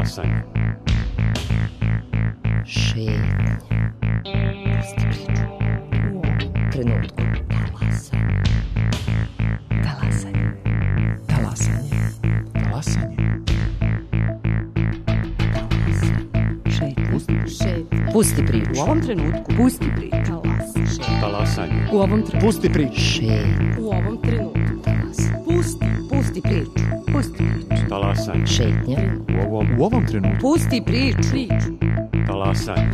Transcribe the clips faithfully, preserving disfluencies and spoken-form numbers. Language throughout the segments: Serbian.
Talasanje. Šetnja. Pusti priču. U ovom trenutku. Talasanje. Talasanje. Talasanje. Talasanje. Šetnja. Pusti priču. U ovom trenutku. Pusti priču. Talasanje. U ovom trenutku. Pusti priču. Šetnja. U ovom trenutku. Talasanje. Pusti. Pusti priču. Pusti priču. Talasanje. Šetnja. U ovom, U ovom trenutku. Pusti priču. Priču. talasanje.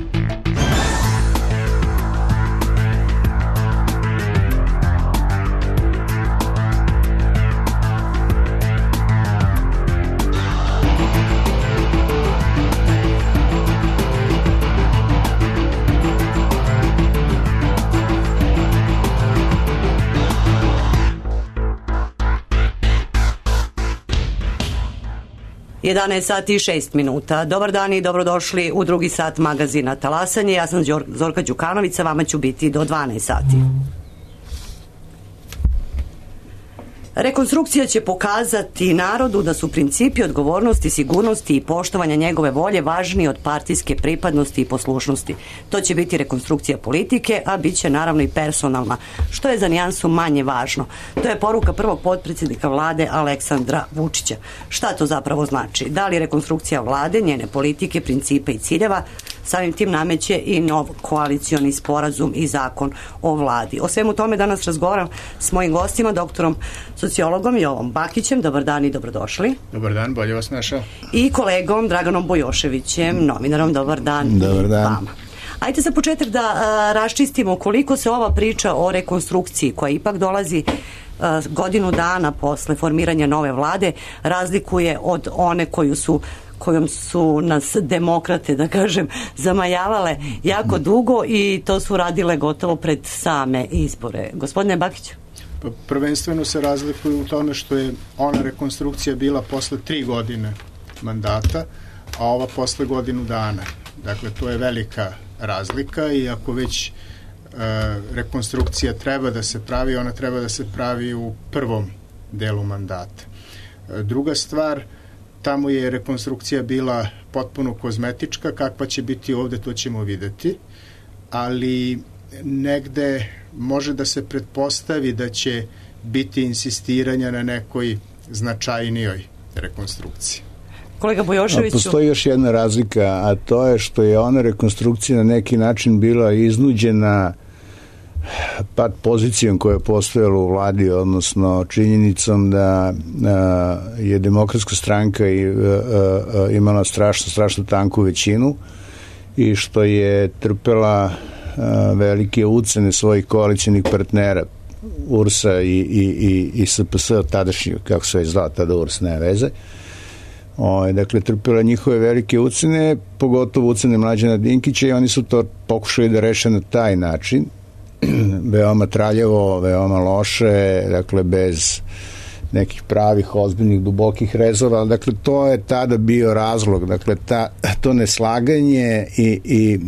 jedanaest sati i šest minuta. Dobar dan i dobrodošli u drugi sat magazina Talasanje. Ja sam Zorka Đukanović, sa vama ću biti do dvanaest sati. Rekonstrukcija će pokazati narodu da su principi odgovornosti, sigurnosti i poštovanja njegove volje važniji od partijske pripadnosti i poslušnosti. To će biti rekonstrukcija politike, a bit će naravno i personalna, što je za nijansu manje važno. To je poruka prvog potpredsjednika vlade Aleksandra Vučića. Šta to zapravo znači? Da li rekonstrukcija vlade, njene politike, principa i ciljeva samim tim nameće i nov koalicioni sporazum i zakon o vladi? O svemu tome danas razgovaram s mojim gostima, doktorom sociologom Jovom Bakićem. Dobar dan i dobrodošli. Dobar dan, bolje vas našao. I kolegom Draganom Bojoševićem, novinarom. Dobar dan. Dobar dan. Vama. Ajde za početak da a, raščistimo koliko se ova priča o rekonstrukciji, koja ipak dolazi a, godinu dana posle formiranja nove vlade, razlikuje od one koju su kojom su nas demokrate, da kažem, zamajavale jako dugo i to su radile gotovo pred same izbore. Gospodine Bakiću? Prvenstveno se razlikuju u tome što je ona rekonstrukcija bila posle tri godine mandata, a ova posle godinu dana. Dakle, to je velika razlika i ako već e, rekonstrukcija treba da se pravi, ona treba da se pravi u prvom delu mandata. E, druga stvar, tamo je rekonstrukcija bila potpuno kozmetička, kakva će biti ovde, to ćemo videti, ali negde može da se pretpostavi da će biti insistiranja na nekoj značajnijoj rekonstrukciji. Kolega Bojoševiću? Postoji još jedna razlika, a to je što je ona rekonstrukcija na neki način bila iznuđena pad pozicijom koja je postojala u vladi, odnosno činjenicom da a, je Demokratska stranka i, a, a, imala strašno, strašno tanku većinu i što je trpela a, velike ucene svojih koalicijnih partnera U R S-a i, i, i, i S P S, tadašnji, kako se je zvao tada U R S, nema veze. O, dakle, trpela njihove velike ucene, pogotovo ucene Mlađana Dinkića, i oni su to pokušali da reše na taj način, veoma traljavo, veoma loše, dakle bez nekih pravih, ozbiljnih, dubokih rezova. Dakle, to je tada bio razlog, dakle, ta, to neslaganje i, i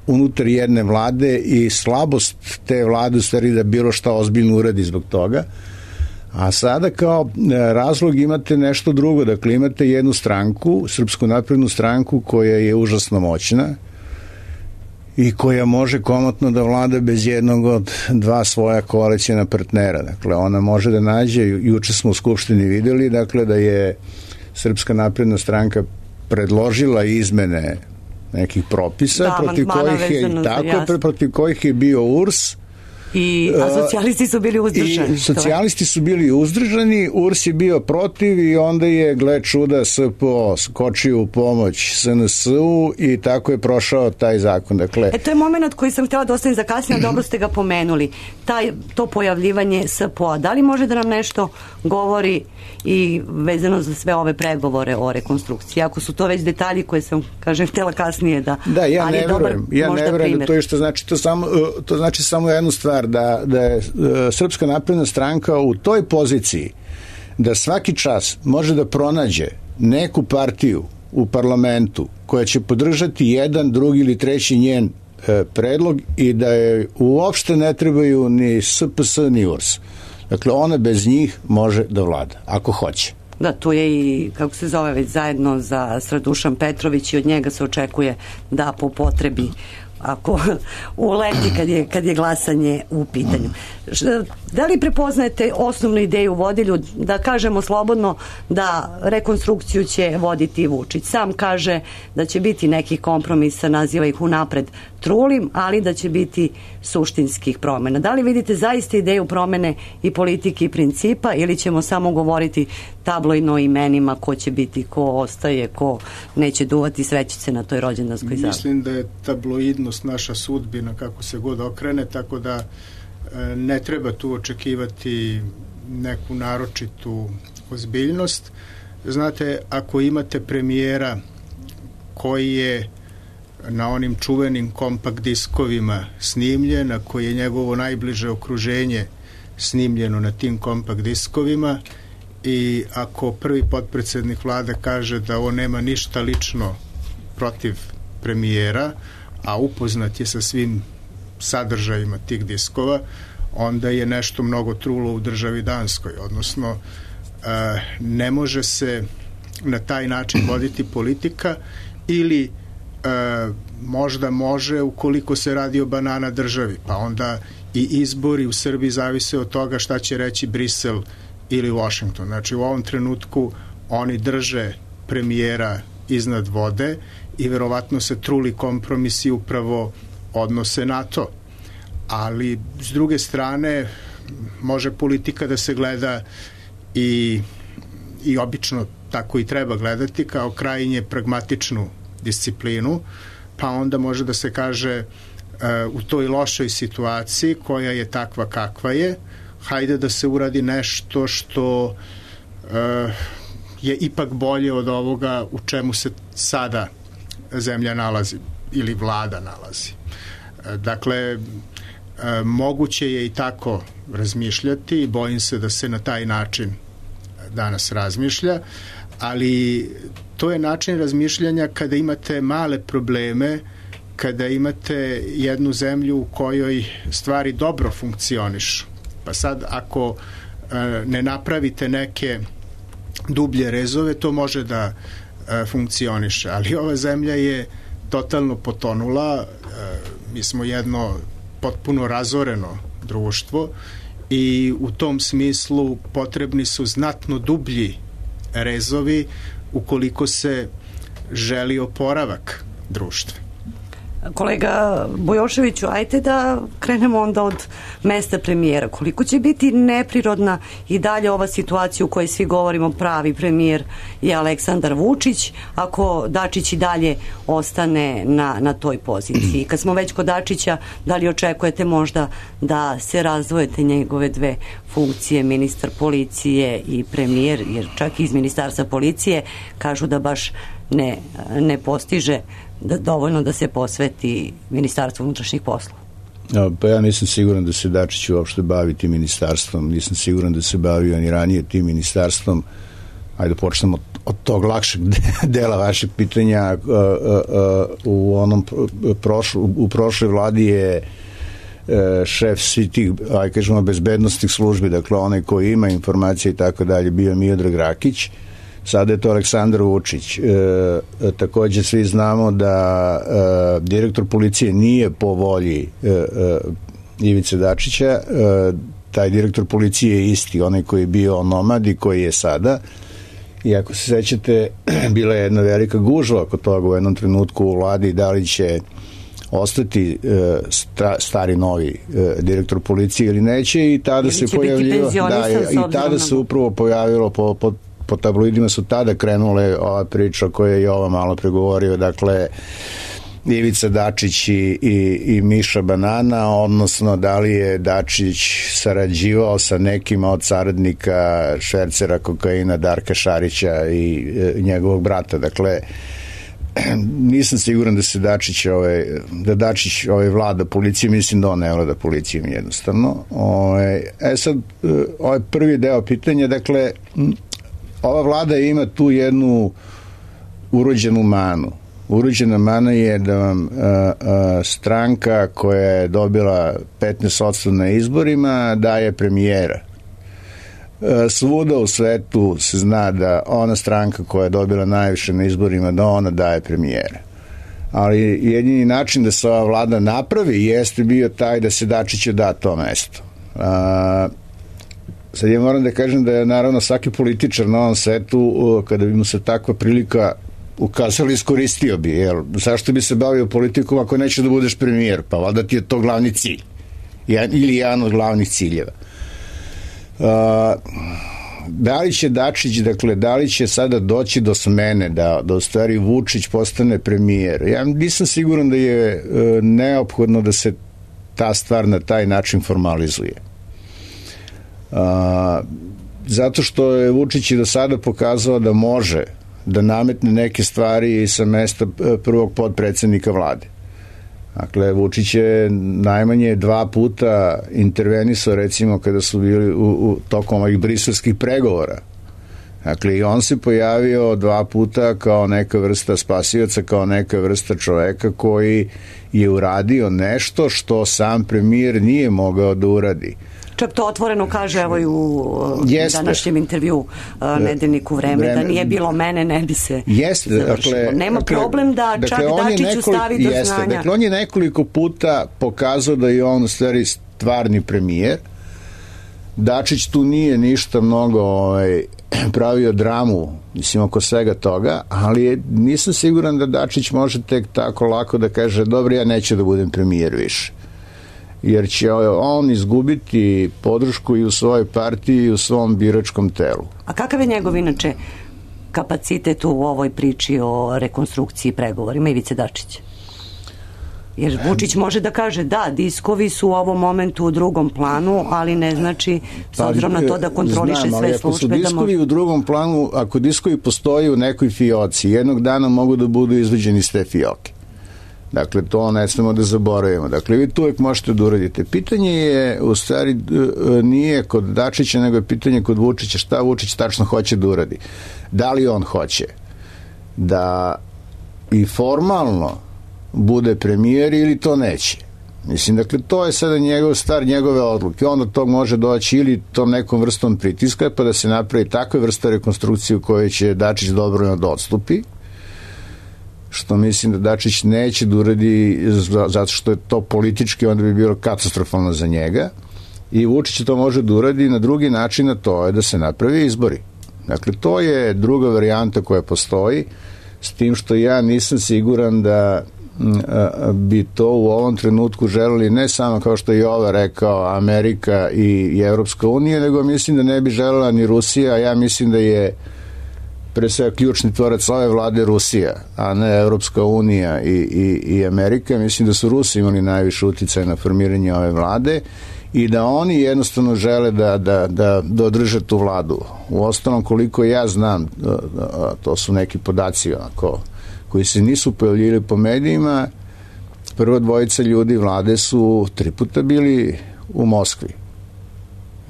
unutar jedne vlade i slabost te vlade u stvari da bilo šta ozbiljno uradi zbog toga. A sada kao razlog imate nešto drugo, dakle imate jednu stranku, Srpsku naprednu stranku, koja je užasno moćna i koja može komotno da vlada bez jednog od dva svoja koalicijna partnera. Dakle, ona može da nađe, juče smo u Skupštini videli, dakle, da je Srpska napredna stranka predložila izmene nekih propisa, da, protiv kojih je, tako, protiv kojih je bio U R S, I, a socijalisti su bili uzdržani. I socijalisti su bili uzdržani, U R S je bio protiv i onda je, gle čuda, S P O skočio u pomoć S N S-u i tako je prošao taj zakon. Dakle, e, to je moment koji sam htjela da ostavim za kasnije, dobro ste ga pomenuli. Taj, to pojavljivanje S P O-a, da li može da nam nešto govori i vezano za sve ove pregovore o rekonstrukciji? Ako su to već detalji koje sam, kažem, htjela kasnije da... Da, ja ne verujem. Ja ne verujem da to je što znači, to, samo, to znači samo jednu stvar, da, da je Srpska napredna stranka u toj poziciji da svaki čas može da pronađe neku partiju u parlamentu koja će podržati jedan, drugi ili treći njen e, predlog i da je uopšte ne trebaju ni S P S ni U R S. Dakle, ona bez njih može da vlada, ako hoće. Da, tu je i, kako se zove, već zajedno za Sredušan Petrović i od njega se očekuje da po potrebi ako uleti kad je, kad je glasanje u pitanju. Da li prepoznajete osnovnu ideju vodilju, da kažemo slobodno da rekonstrukciju će voditi Vučić? Sam kaže da će biti nekih kompromisa, naziva ih unapred trulim, ali da će biti suštinskih promjena. Da li vidite zaista ideju promene i politike i principa, ili ćemo samo govoriti tabloidno imenima ko će biti, ko ostaje, ko neće duvati svećice na toj rođendanskoj zabavi? Mislim da je tabloidnost naša sudbina kako se god okrene, tako da ne treba tu očekivati neku naročitu ozbiljnost. Znate, ako imate premijera koji je na onim čuvenim kompakt diskovima snimljen, a koji je njegovo najbliže okruženje snimljeno na tim kompakt diskovima, i ako prvi potpredsednik vlade kaže da on nema ništa lično protiv premijera, a upoznat je sa svim sadržajima tih diskova, onda je nešto mnogo trulo u državi Danskoj. Odnosno, ne može se na taj način voditi politika, ili možda može ukoliko se radi o banana državi, pa onda i izbori u Srbiji zavise od toga šta će reći Brisel ili Washington. Znači, u ovom trenutku oni drže premijera iznad vode i verovatno se truli kompromisi upravo odnose na to. Ali s druge strane može politika da se gleda i, i obično tako i treba gledati, kao krajnje pragmatičnu disciplinu, pa onda može da se kaže uh, u toj lošoj situaciji koja je takva kakva je, hajde da se uradi nešto što uh, je ipak bolje od ovoga u čemu se sada zemlja nalazi ili vlada nalazi. Uh, dakle, uh, moguće je i tako razmišljati i bojim se da se na taj način danas razmišlja, ali to je način razmišljanja kada imate male probleme, kada imate jednu zemlju u kojoj stvari dobro funkcionišu. Pa sad, ako e, ne napravite neke dublje rezove, to može da e, funkcioniše. Ali ova zemlja je totalno potonula, e, mi smo jedno potpuno razoreno društvo i u tom smislu potrebni su znatno dublji rezovi ukoliko se želi oporavak društva. Kolega Bujoševiću, ajte da krenemo onda od mesta premijera. Koliko će biti neprirodna i dalje ova situacija u kojoj svi govorimo pravi premijer je Aleksandar Vučić, ako Dačić i dalje ostane na, na toj poziciji? Kad smo već kod Dačića, da li očekujete možda da se razdvojete njegove dve funkcije, ministar policije i premijer, jer čak iz ministarstva policije kažu da baš ne, ne postiže da dovoljno da se posveti Ministarstvu unutrašnjih poslova? Ja, pa ja nisam siguran da se Dačić uopšte bavi tim ministarstvom, nisam siguran da se bavio ni ranije tim ministarstvom. Ajde počnemo od, od tog lakšeg dela vašeg pitanja. Uh, uh, uh, u onom prošlo, u prošloj vladi je uh, šef svih tih, aj kažemo, bezbednostnih službi, dakle onaj koji ima informacije i tako dalje, bio Miodrag Rakić. Sada je to Aleksandar Vučić. E, takođe svi znamo da e, direktor policije nije po volji e, e, Ivice Dačića. E, taj direktor policije je isti, onaj koji je bio onomad i koji je sada. I ako se sećate, bila je jedna velika gužva oko toga u jednom trenutku u vladi, da li će ostati e, sta, stari novi e, direktor policije ili neće, i tada se pojavilo da, i tada se upravo pojavilo po, po po tabloidima su tada krenule ova priča koja je Jova malo pregovorio, dakle Ivica Dačić i, i, i Miša Banana, odnosno da li je Dačić sarađivao sa nekima od saradnika švercera kokaina Darka Šarića i e, njegovog brata. Dakle, nisam siguran da se Dačić ovaj, da Dačić ovaj vlada policijom, mislim da on ne vlada policijom jednostavno. Ovaj, e sad, ovaj prvi deo pitanja, dakle, ova vlada ima tu jednu urođenu manu. Urođena mana je da vam a, a, stranka koja je dobila petnaest posto na izborima daje premijera. svuda u svetu se zna da ona stranka koja je dobila najviše na izborima, da ona daje premijera. Ali jedini način da se ova vlada napravi jeste bio taj da se Dačiću da to mesto. A, sad ja moram da kažem da je naravno svaki političar na ovom svetu, kada bi mu se takva prilika ukazali, iskoristio bi, jel? Zašto bi se bavio politikom ako neće da budeš premijer? Pa valjda ti je to glavni cilj. Ili jedan od glavnih ciljeva. Uh, da li će Dačić, dakle, da li će sada doći do smene, da, da u stvari Vučić postane premijer? Ja nisam siguran da je uh, neophodno da se ta stvar na taj način formalizuje. Uh, zato što je Vučić i do sada pokazao da može da nametne neke stvari sa mesta prvog potpredsednika vlade. Dakle, Vučić je najmanje dva puta intervenisao, recimo, kada su bili u, u tokom ovih briselskih pregovora. Dakle, i on se pojavio dva puta kao neka vrsta spasioca, kao neka vrsta čoveka koji je uradio nešto što sam premijer nije mogao da uradi. Čak to otvoreno kaže, evo i u Jeste. današnjem intervju uh, nedeljniku vreme, vreme, da nije bilo mene, ne bi se Jeste, završilo. Dakle, Nema dakle, problem da dakle, čak Dačiću nekoliko, stavi do jeste, znanja. Dakle, on je nekoliko puta pokazao da je on u stvari stvarni premijer. Dačić tu nije ništa mnogo ovaj, pravio dramu, mislim, oko svega toga, ali je, nisam siguran da Dačić može tek tako lako da kaže, dobro, ja neću da budem premijer više. Jer će on izgubiti podršku i u svojoj partiji i u svom biračkom telu. A kakav je njegov inače kapacitet u ovoj priči o rekonstrukciji pregovorima Ivice Dačića? Jer Vučić može da kaže da, diskovi su u ovom momentu u drugom planu, ali ne znači, s obzirom na to da kontroliše Znam, sve ali službe. Ako su da diskovi može... u drugom planu, ako diskovi postoji u nekoj fioci, jednog dana mogu da budu izvađeni iz te fioke. Dakle, to ne smemo da zaboravimo. Dakle, vi tu uvek možete da uradite. Pitanje je, u stvari, nije kod Dačića, nego je pitanje kod Vučića, šta Vučić tačno hoće da uradi. Da li on hoće da i formalno bude premijer ili to neće. Mislim, dakle, to je sada njegov stvar, njegove odluke. Onda to može doći ili tom nekom vrstom pritiska, pa da se napravi takva vrsta rekonstrukcije u kojoj će Dačić dobro da odstupi, što mislim da Dačić neće da uradi zato što je to politički, onda bi bilo katastrofalno za njega, i Vučić to može da uradi na drugi način, a to je da se napravi izbori. Dakle, to je druga varijanta koja postoji, s tim što ja nisam siguran da bi to u ovom trenutku želeli ne samo, kao što je Jova rekao, Amerika i Evropska unija, nego mislim da ne bi želela ni Rusija. Ja mislim da je pre svega ključni tvorac ove vlade Rusija, a ne Evropska unija i, i, i Amerika. Mislim da su Rusi imali najviše uticaja na formiranje ove vlade i da oni jednostavno žele da, da, da, da održe tu vladu. U ostalom, koliko ja znam, to su neki podaci ako, koji se nisu pojavljili po medijima, prva dvojica ljudi vlade su tri puta bili u Moskvi.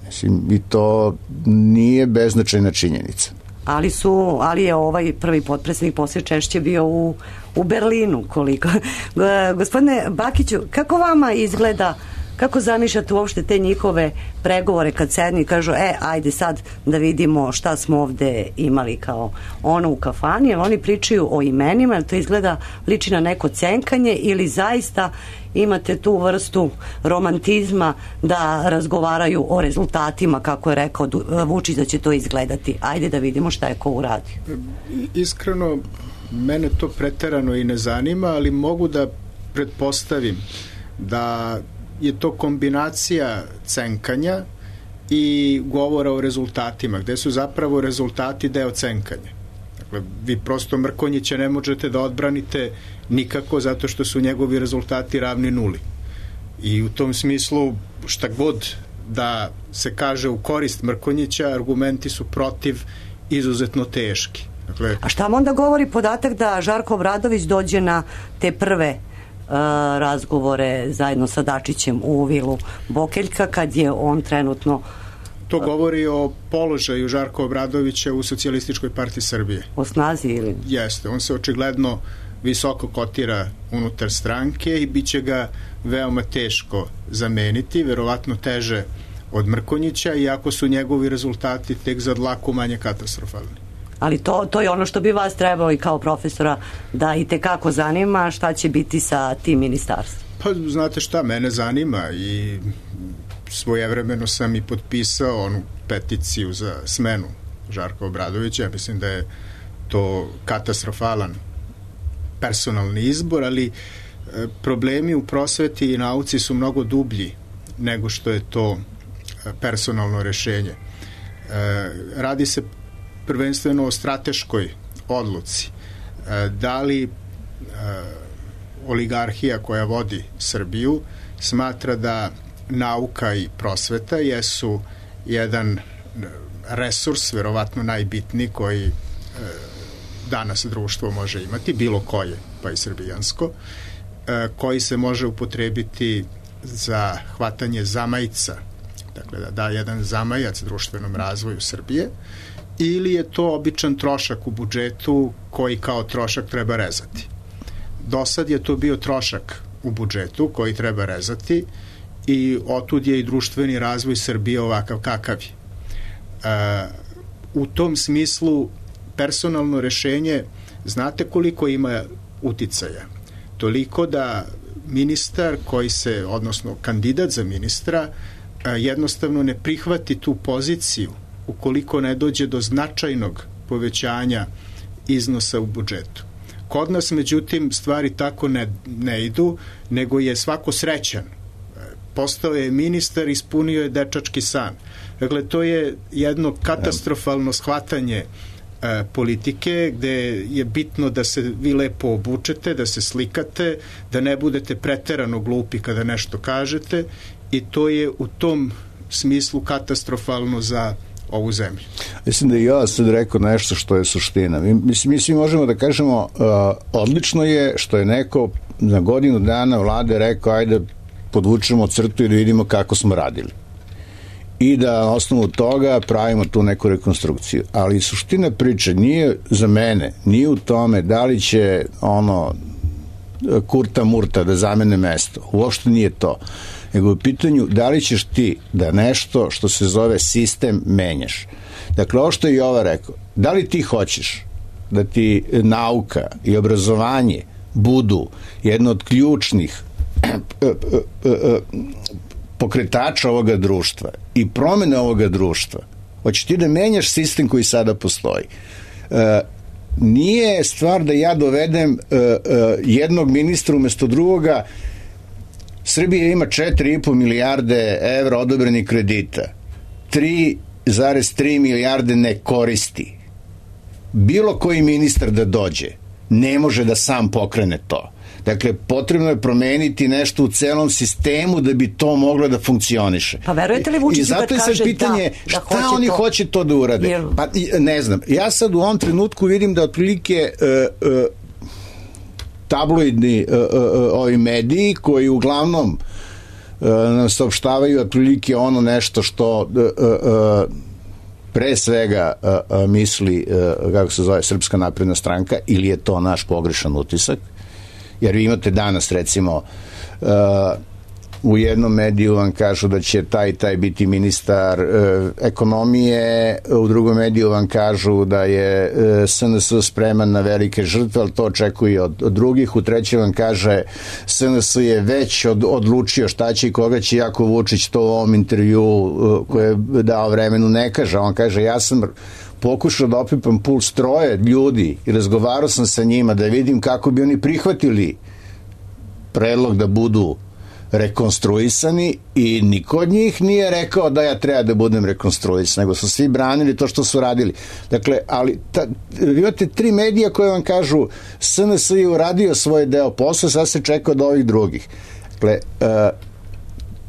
Mislim, i to nije beznačajna činjenica. Ali su, ali je ovaj prvi potpredsjednik poslije češće bio u, u Berlinu, koliko. Gospodine Bakiću, kako vama izgleda, kako zamišljate uopšte te njihove pregovore kad sedni i kažu, e, ajde sad da vidimo šta smo ovde imali kao ono u kafani, jer oni pričaju o imenima, jer to izgleda liči na neko cenkanje, ili zaista imate tu vrstu romantizma da razgovaraju o rezultatima, kako je rekao Vučić da će to izgledati. Ajde da vidimo šta je ko uradio. Iskreno, mene to preterano i ne zanima, ali mogu da pretpostavim da je to kombinacija cenkanja i govora o rezultatima, gde su zapravo rezultati deo cenkanja. Dakle, vi prosto Mrkonjića ne možete da odbranite nikako zato što su njegovi rezultati ravni nuli. I u tom smislu, šta god da se kaže u korist Mrkonjića, argumenti su protiv izuzetno teški. Dakle, a šta vam onda govori podatak da Žarko Obradović dođe na te prve Uh, razgovore zajedno sa Dačićem u vilu Bokeljka, kad je on trenutno... To govori o položaju Žarka Obradovića u Socijalističkoj partiji Srbije. O snazi ili? Jeste, on se očigledno visoko kotira unutar stranke i bit će ga veoma teško zameniti, verovatno teže od Mrkonjića, iako su njegovi rezultati tek za dlaku manje katastrofalni. Ali to, to je ono što bi vas trebalo i kao profesora da i tekako zanima šta će biti sa tim ministarstvom. Pa znate šta, mene zanima i svojevremeno sam i potpisao onu peticiju za smenu Žarka Obradovića. Ja mislim da je to katastrofalan personalni izbor, ali problemi u prosveti i nauci su mnogo dublji nego što je to personalno rešenje. Radi se prvenstveno o strateškoj odluci. Da li oligarhija koja vodi Srbiju smatra da nauka i prosveta jesu jedan resurs, verovatno najbitniji, koji danas društvo može imati, bilo koje, pa i srbijansko, koji se može upotrebiti za hvatanje zamajca, dakle da da jedan zamajac društvenom razvoju Srbije, ili je to običan trošak u budžetu koji kao trošak treba rezati. Do sad je to bio trošak u budžetu koji treba rezati i otud je i društveni razvoj Srbije ovakav kakav je. E, u tom smislu personalno rešenje, znate koliko ima uticaja? Toliko da ministar koji se, odnosno kandidat za ministra, jednostavno ne prihvati tu poziciju ukoliko ne dođe do značajnog povećanja iznosa u budžetu. Kod nas, međutim, stvari tako ne, ne idu, nego je svako srećan. Postao je ministar, ispunio je dečački san. Dakle, to je jedno katastrofalno shvatanje e, politike, gde je bitno da se vi lepo obučete, da se slikate, da ne budete preterano glupi kada nešto kažete, i to je u tom smislu katastrofalno za ovu zemlju. Mislim da i ja sad rekao nešto što je suština. Mi, mislim, mi svi možemo da kažemo uh, odlično je što je neko na godinu dana vlade rekao ajde podvučemo crtu i da vidimo kako smo radili. I da na osnovu toga pravimo tu neku rekonstrukciju. Ali suština priče nije za mene, nije u tome da li će ono Kurta Murta da zamene mesto. Uopšte nije to. Nego u pitanju da li ćeš ti da nešto što se zove sistem menjaš. Dakle, ovo što je Jova rekao, da li ti hoćeš da ti nauka i obrazovanje budu jedno od ključnih pokretača ovoga društva i promene ovoga društva, hoćeš ti da menjaš sistem koji sada postoji. Nije stvar da ja dovedem jednog ministra umesto drugoga. Srbija ima četiri i po milijarde evra odobrenih kredita. tri zarez tri milijarde ne koristi. Bilo koji ministar da dođe ne može da sam pokrene to. Dakle, potrebno je promeniti nešto u celom sistemu da bi to moglo da funkcioniše. Pa verujete li Vučiću kad kaže da, I zato je sad pitanje da, šta da oni to? hoće to da urade. Jer... Pa ne znam. Ja sad u ovom trenutku vidim da otprilike uh, uh, tabloidni uh, uh, ovi mediji koji uglavnom uh, nam saopštavaju otprilike ono nešto što uh, uh, pre svega uh, uh, misli, uh, kako se zove, Srpska napredna stranka, ili je to naš pogrešan utisak, jer vi imate danas recimo uh, u jednom mediju vam kažu da će taj taj biti ministar uh, ekonomije, u drugom mediju vam kažu da je uh, S N S spreman na velike žrtve, ali to očekuje od, od drugih, u trećem vam kaže S N S je već od, odlučio šta će i koga će, Jako Vučić to u ovom intervju uh, koje je dao Vremenu ne kaže, on kaže ja sam pokušao da opipam puls troje ljudi i razgovarao sam sa njima da vidim kako bi oni prihvatili predlog da budu rekonstruisani i niko od njih nije rekao da ja treba da budem rekonstruisan, nego su svi branili to što su radili. Dakle, ali ta, vi imate tri medija koje vam kažu S N S je uradio svoj deo posla, sad se čeka od ovih drugih. Dakle, uh,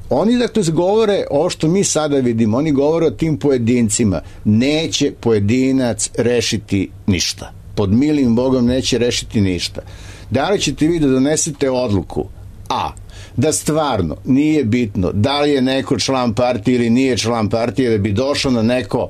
oni dakle govore ovo što mi sada vidimo, oni govore o tim pojedincima. Neće pojedinac rešiti ništa. Pod milim Bogom neće rešiti ništa. Da li ćete vi da donesete odluku A, da stvarno nije bitno da li je neko član partije ili nije član partije, da bi došao na neko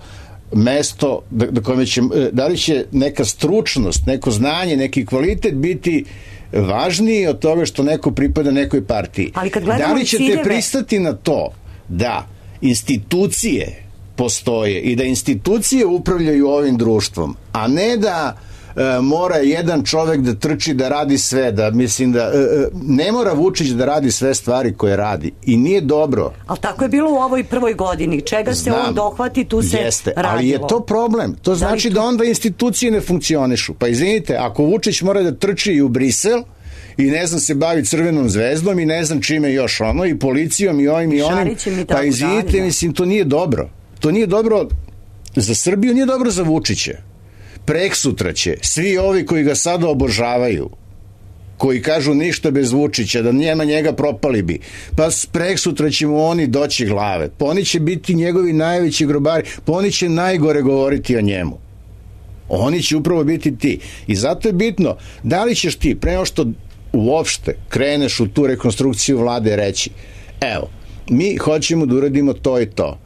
mesto da, da, kome će, da li će neka stručnost, neko znanje, neki kvalitet biti važniji od toga što neko pripada nekoj partiji. Ali kad da li ćete ciljeve... pristati na to da institucije postoje i da institucije upravljaju ovim društvom, a ne da e, mora jedan čovek da trči da radi sve, da mislim da e, ne mora Vučić da radi sve stvari koje radi i nije dobro. Ali tako je bilo u ovoj prvoj godini, čega se Znam, on dohvati, tu se jeste, radilo. ali je to problem, to znači da, da onda institucije ne funkcionišu. Pa izvinite, ako Vučić mora da trči i u Brisel i ne znam se bavi Crvenom zvezdom i ne znam čime još ono i policijom i ovim i onim, pa izvinite, mislim, to nije dobro. To nije dobro za Srbiju, nije dobro za Vučića. Preksutra će svi ovi koji ga sada obožavaju, koji kažu ništa bez Vučića, da njema njega propali bi, pa preksutra će mu oni doći glave, pa oni će biti njegovi najveći grobari, pa oni će najgore govoriti o njemu. Oni će upravo biti ti. I zato je bitno, da li ćeš ti, pre nego što uopšte kreneš u tu rekonstrukciju vlade, reći, evo, mi hoćemo da uradimo to i to.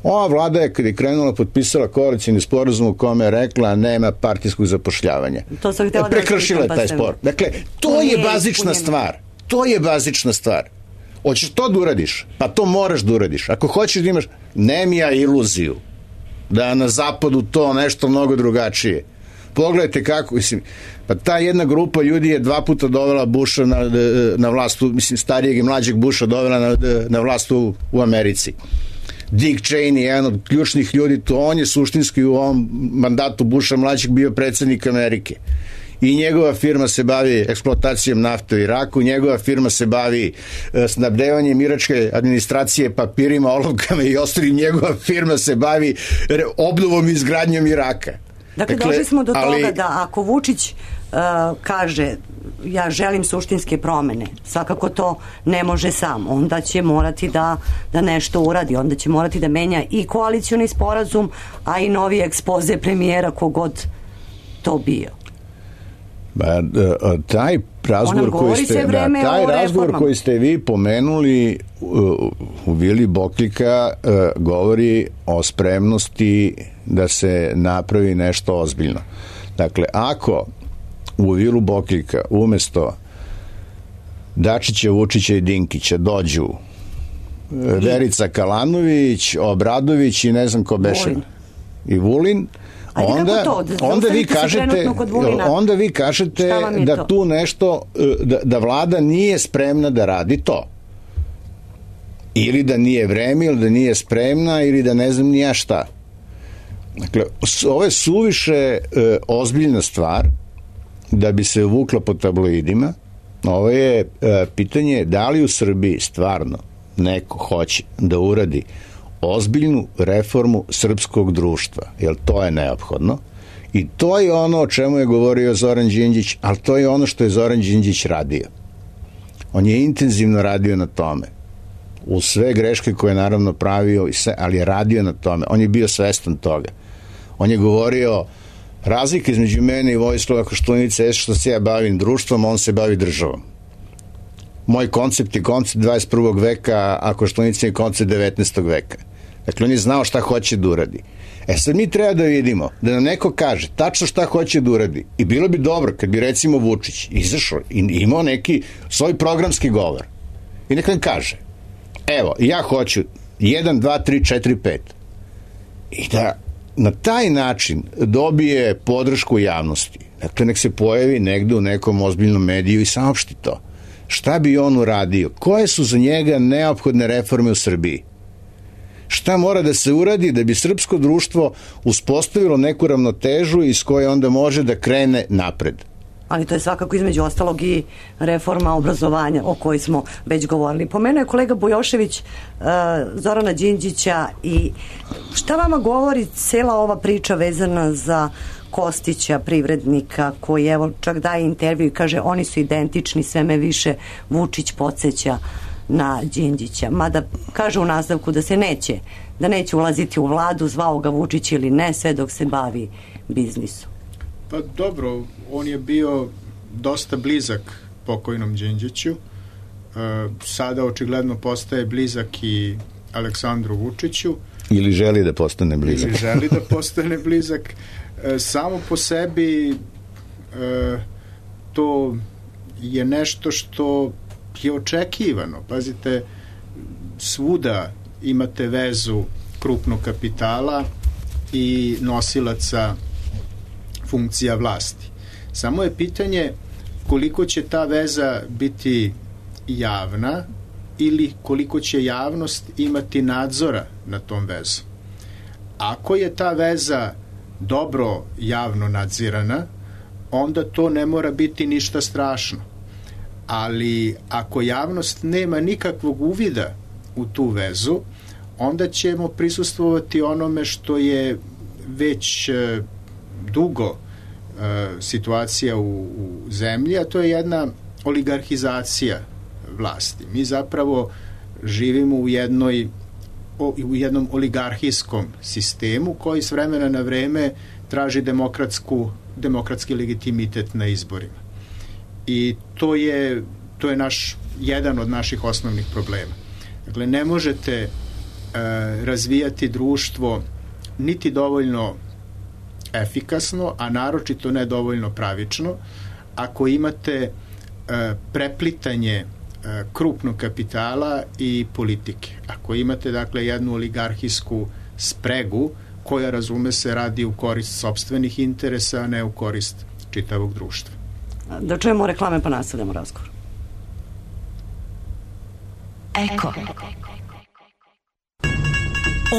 Ova vlada je kad je krenula potpisala koalicijni sporazum u kome je rekla nema partijskog zapošljavanja. To sam htjela da prekršila je taj spor. Dakle, to je bazična stvar. To je bazična stvar. Hoćeš to da uradiš? Pa to moraš da uradiš. Ako hoćeš da imaš, nemija iluziju da je na zapadu to nešto mnogo drugačije. Pogledajte kako, mislim, pa ta jedna grupa ljudi je dva puta dovela Busha na, na vlast, mislim, starijeg i mlađeg Busha dovela na, na vlast u, u Americi. Dick Cheney, jedan od ključnih ljudi, to on je suštinski u ovom mandatu Busha mlađeg bio predsjednik Amerike. I njegova firma se bavi eksploatacijom nafte u Iraku, njegova firma se bavi snabdevanjem iračke administracije papirima, olovkama i ostalim, njegova firma se bavi obnovom i izgradnjom Iraka. Dakle, dakle došli smo do ali... toga da ako Vučić uh, kaže ja želim suštinske promene, svakako to ne može sam, onda će morati da, da nešto uradi, onda će morati da menja i koalicioni sporazum, a i novi ekspoze premijera kogod to bio. Ba, taj razgovor koji ste, da, taj razgovor koji ste vi pomenuli u, u Vili Boklika uh, govori o spremnosti da se napravi nešto ozbiljno. Dakle, ako u Vilu Boklika umesto Dačića, Vučića i Dinkića dođu Verica Kalanović, Obradović i ne znam ko beše i Vulin, onda, onda vi kažete onda vi kažete da tu nešto da, da vlada nije spremna da radi to ili da nije vreme ili da nije spremna ili da ne znam ni ja šta. Dakle, ovo je suviše e, ozbiljna stvar da bi se vukla po tabloidima. Ovo je e, pitanje da li u Srbiji stvarno neko hoće da uradi ozbiljnu reformu srpskog društva, jer to je neophodno i to je ono o čemu je govorio Zoran Đinđić, ali to je ono što je Zoran Đinđić radio. On je intenzivno radio na tome, u sve greške koje je naravno pravio, ali je radio na tome, on je bio svestan toga. On je govorio, razlika između mene i Vojislava Koštunice je što se ja bavim društvom, on se bavi državom. Moj koncept je koncept dvadeset prvog veka, a Koštunica je koncept devetnaestog veka. Dakle, on je znao šta hoće da uradi. E sad mi treba da vidimo, da nam neko kaže tačno šta hoće da uradi. I bilo bi dobro kad bi recimo Vučić izašao i imao neki svoj programski govor. I neka nam kaže, evo, ja hoću jedan, dva, tri, četiri, pet. I da na taj način dobije podršku javnosti. Dakle, nek se pojavi negde u nekom ozbiljnom mediju i saopšti to. Šta bi on uradio? Koje su za njega neophodne reforme u Srbiji? Šta mora da se uradi da bi srpsko društvo uspostavilo neku ravnotežu iz koje onda može da krene napred? Ali to je svakako između ostalog i reforma obrazovanja o kojoj smo već govorili. Pomenuo je kolega Bujošević uh, Zorana Đinđića i šta vama govori cela ova priča vezana za Kostića, privrednika, koji evo čak daje intervju i kaže oni su identični, sve me više Vučić podsjeća na Đinđića. Mada kaže u nastavku da se neće, da neće ulaziti u vladu, zvao ga Vučić ili ne, sve dok se bavi biznisom. Pa dobro, on je bio dosta blizak pokojnom Đinđiću. E, sada očigledno postaje blizak i Aleksandru Vučiću. Ili želi da postane blizak. Ili želi da postane blizak. E, samo po sebi e, to je nešto što je očekivano. Pazite, svuda imate vezu krupnog kapitala i nosilaca funkcija vlasti. Samo je pitanje koliko će ta veza biti javna ili koliko će javnost imati nadzora na tom vezom. Ako je ta veza dobro javno nadzirana, onda to ne mora biti ništa strašno. Ali ako javnost nema nikakvog uvida u tu vezu, onda ćemo prisustvovati onome što je već e, dugo e, situacija u, u zemlji, a to je jedna oligarhizacija vlasti. Mi zapravo živimo u jednoj o, u jednom oligarhijskom sistemu koji s vremena na vreme traži demokratsku, demokratski legitimitet na izborima. I to je, to je naš, jedan od naših osnovnih problema. Dakle, ne možete e, razvijati društvo niti dovoljno efikasno, a naročito ne dovoljno pravično, ako imate e, preplitanje e, krupnog kapitala i politike. Ako imate, dakle, jednu oligarhijsku spregu koja, razume se, radi u korist sopstvenih interesa, a ne u korist čitavog društva. Da čujemo reklame pa nastavljamo razgovor. Eko.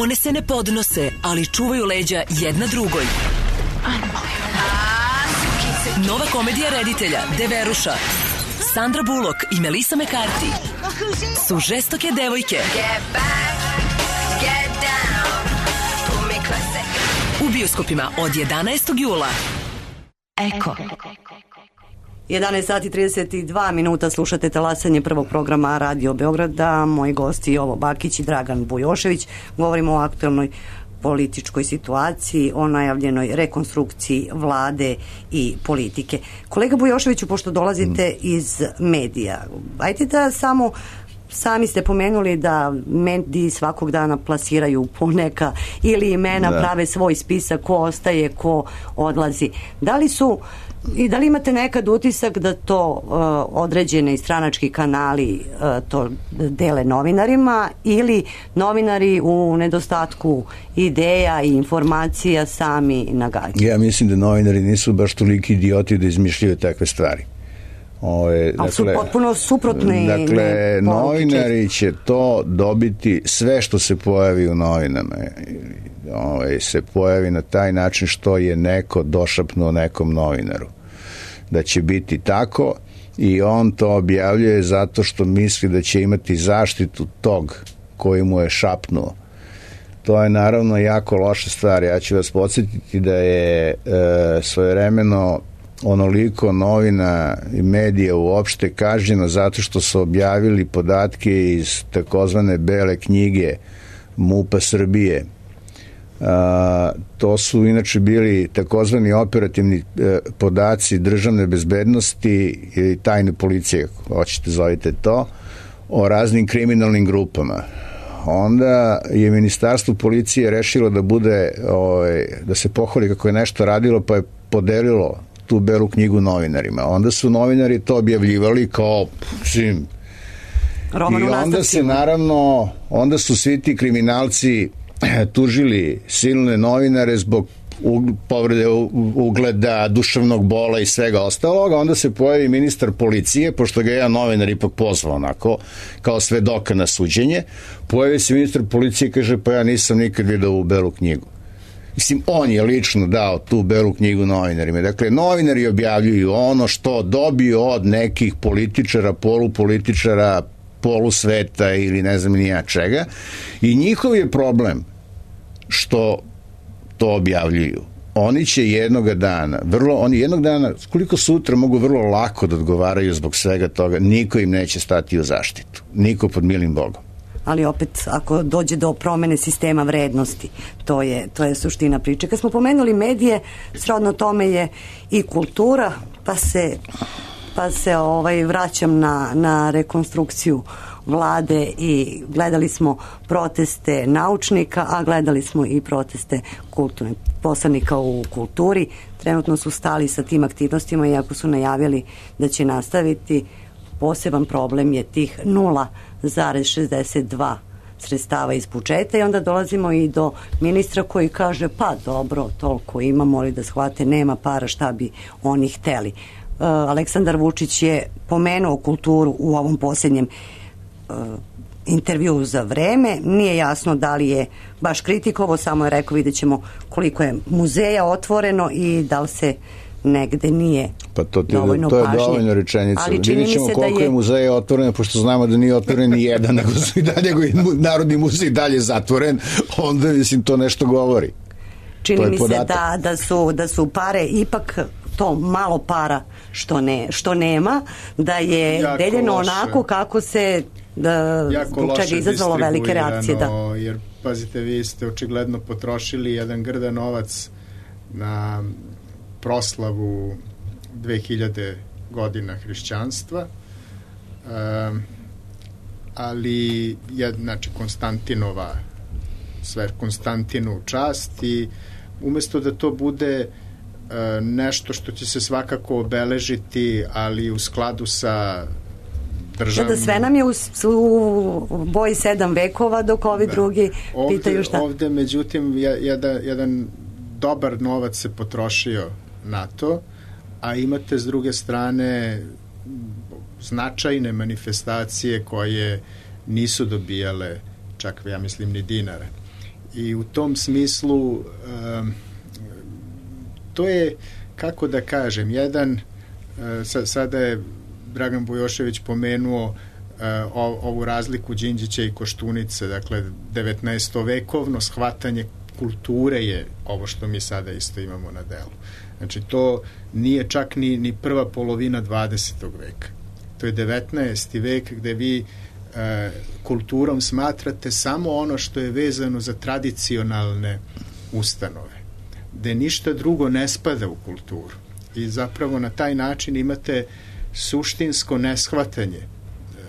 One se ne podnose, ali čuvaju leđa jedna drugoj. Nova komedija reditelja Deveruša, Sandra Bullock i Melissa McCarthy su žestoke devojke u bioskopima od jedanaestog jula. Eko. jedanaest sati i trideset dva minuta, slušate talasanje prvog programa Radio Beograda. Moji gosti Jovo Bakić i Dragan Bujošević. Govorimo o aktuelnoj političkoj situaciji, o najavljenoj rekonstrukciji vlade i politike. Kolega Bujoševiću, pošto dolazite iz medija, ajte da samo sami ste pomenuli da mediji svakog dana plasiraju poneka ili imena, da. Prave svoj spisak ko ostaje, ko odlazi. Da li su i da li imate nekad utisak da to uh, određene stranački kanali uh, to dele novinarima ili novinari u nedostatku ideja i informacija sami nagađaju? Ja mislim da novinari nisu baš toliki idioti da izmišljaju takve stvari. Ove, ali dakle, su potpuno suprotni. Dakle, novinari će to dobiti, sve što se pojavi u novinama ove, se pojavi na taj način što je neko došapnuo nekom novinaru. Da će biti tako i on to objavljuje zato što misli da će imati zaštitu tog koji mu je šapnuo. To je naravno jako loša stvar. Ja ću vas podsjetiti da je e, svojevremeno onoliko novina i medija uopšte kažnjeno zato što su objavili podatke iz takozvane bele knjige MUP-a Srbije. A, to su inače bili takozvani operativni e, podaci državne bezbednosti i tajne policije, ako hoćete zovite to, o raznim kriminalnim grupama. Onda je ministarstvo policije rešilo da bude, ovaj, da se pohvali kako je nešto radilo, pa je podelilo tu belu knjigu novinarima. Onda su novinari to objavljivali kao sim. I onda se naravno, onda su svi ti kriminalci tužili silne novinare zbog povrede ugleda, duševnog bola i svega ostaloga. Onda se pojavi ministar policije, pošto ga je jedan novinar ipak pozvao onako, kao svedoka na suđenje. Pojavi se ministar policije i kaže, pa ja nisam nikad vidio ovu belu knjigu. Mislim, on je lično dao tu belu knjigu novinarima. Dakle, novinari objavljuju ono što dobiju od nekih političara, polupolitičara, polusveta ili ne znam nija čega. I njihov je problem što to objavljuju. Oni će jednoga dana, vrlo, oni jednog dana, koliko sutra mogu vrlo lako da odgovaraju zbog svega toga, niko im neće stati u zaštitu. Niko pod milim Bogom. Ali opet, ako dođe do promene sistema vrednosti, to je, to je suština priče. Kad smo pomenuli medije, srodno tome je i kultura, pa se, pa se ovaj, vraćam na, na rekonstrukciju vlade i gledali smo proteste naučnika, a gledali smo i proteste kulturne poslanika u kulturi. Trenutno su stali sa tim aktivnostima, iako su najavili da će nastaviti. Poseban problem je tih nula zarez šezdeset dva sredstava iz budžeta i onda dolazimo i do ministra koji kaže pa dobro, toliko ima, moli da shvate, nema para, šta bi oni hteli. Uh, Aleksandar Vučić je pomenuo kulturu u ovom posljednjem uh, intervju za Vreme, nije jasno da li je baš kritikovo, samo je rekao vidjet ćemo koliko je muzeja otvoreno i da li se negde nije pa to, ti, dovoljno to je pažnje. dovoljno rečenica. Ali čini mi Vidjet ćemo se koliko da je... je muzeja otvoreno, pošto znamo da nije otvoren ni jedan, nego su i dalje, Narodni muzej dalje zatvoren, onda mislim to nešto govori. Čini mi se da, da, su, da su pare ipak to malo para što, ne, što nema, da je jako deljeno loše. Onako kako se da, zbog čega izazvalo velike reakcije. Da. Jer, pazite, vi ste očigledno potrošili jedan grda novac na proslavu dve hiljade godina hrišćanstva, um, ali je, znači, Konstantinova, sve Konstantinu čast i umesto da to bude uh, nešto što će se svakako obeležiti, ali u skladu sa državnim... Da sve nam je u, u boji sedam vekova, dok ovi da. drugi ovde, pitaju šta. Ovde, međutim, jedan, jedan dobar novac se potrošio na to, a imate s druge strane značajne manifestacije koje nisu dobijale čak, ja mislim, ni dinara. I u tom smislu um, to je, kako da kažem, jedan uh, sada je Dragan Bujošević pomenuo uh, ovu razliku Đinđića i Koštunice, dakle devetnaestovekovno shvatanje kulture je ovo što mi sada isto imamo na delu. Znači to nije čak ni, ni prva polovina dvadesetog veka. To je devetnaesti vek gde vi e, kulturom smatrate samo ono što je vezano za tradicionalne ustanove, gde ništa drugo ne spada u kulturu. I zapravo na taj način imate suštinsko neshvatanje